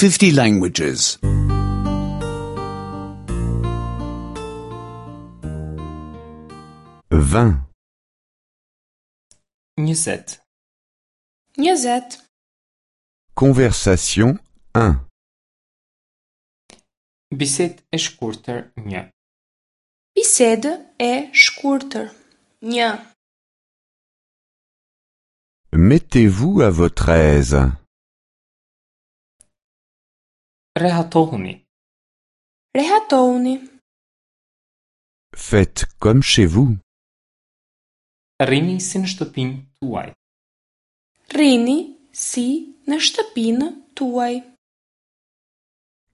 50 languages. 20. 20. 20. Conversation 1. Bisedë e shkurtër 1. Bisedë e shkurtër. 1. Mettez-vous à votre aise. Rehatohuni. Rehatohuni. Faites comme chez vous. Rrini si në shtëpinë tuaj. Rrini si në shtëpinë tuaj.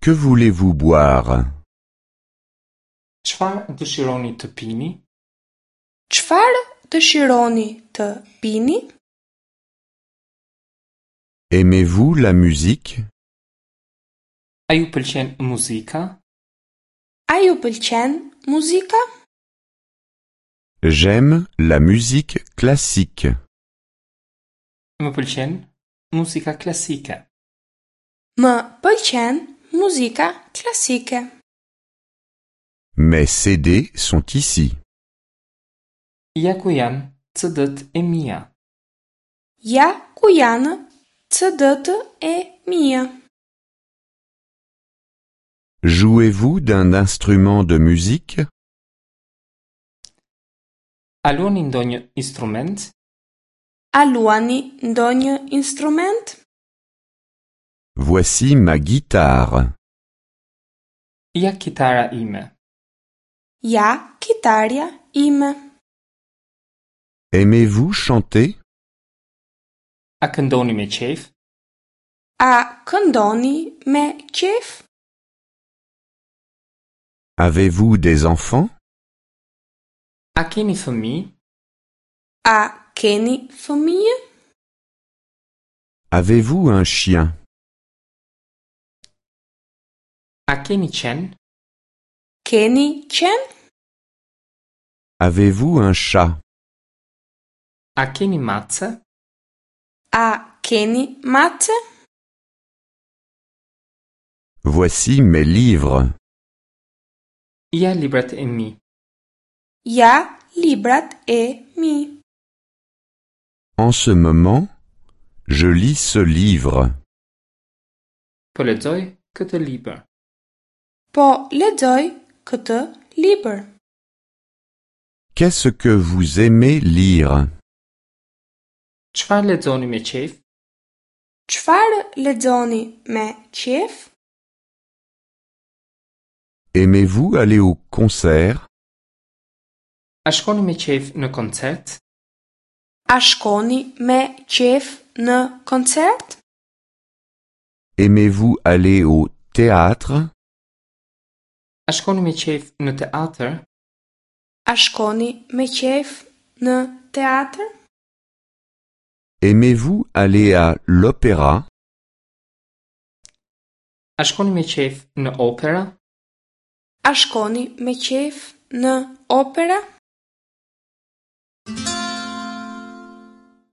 Que voulez-vous boire? Çfarë dëshironi të pini? Çfarë dëshironi të pini? Aimez-vous la musique? A ju pëlqen muzika? A ju pëlqen muzika? J'aime la musique classique. Më pëlqen muzika klasike. Më pëlqen muzika klasike. Mes CD sont ici. Ja ku janë CD-t e mia. Ja ku janë CD-t e mia. Jouez-vous d'un instrument de musique? A luani ndonjë instrument? A luani ndonjë instrument? Voici ma guitare. Ja kitara ime. Ja kitarja ime. Aimez-vous chanter? A këndoni me qejf? A këndoni me qejf? Avez-vous des enfants? A keni fëmijë? A keni fëmijë? Avez-vous un chien? A keni qen? Keni qen? Avez-vous un chat? A keni mace? A keni mace? Voici mes livres. Ja librat e mi. Ja librat e mi. En ce moment, je lis ce livre. Po lexoj këtë libër. Po lexoj këtë libër. Qu'est-ce que vous aimez lire? Çfarë lexoni me qejf? Çfarë lexoni me qejf? Aimez-vous aller au concert? A shkoni me qejf në koncert? A shkoni me qejf në koncert? Aimez-vous aller au théâtre? A shkoni me qejf në teatr? A shkoni me qejf në teatr? Aimez-vous aller à l'opéra? A shkoni me qejf në opera? A shkoni me qejf në opera?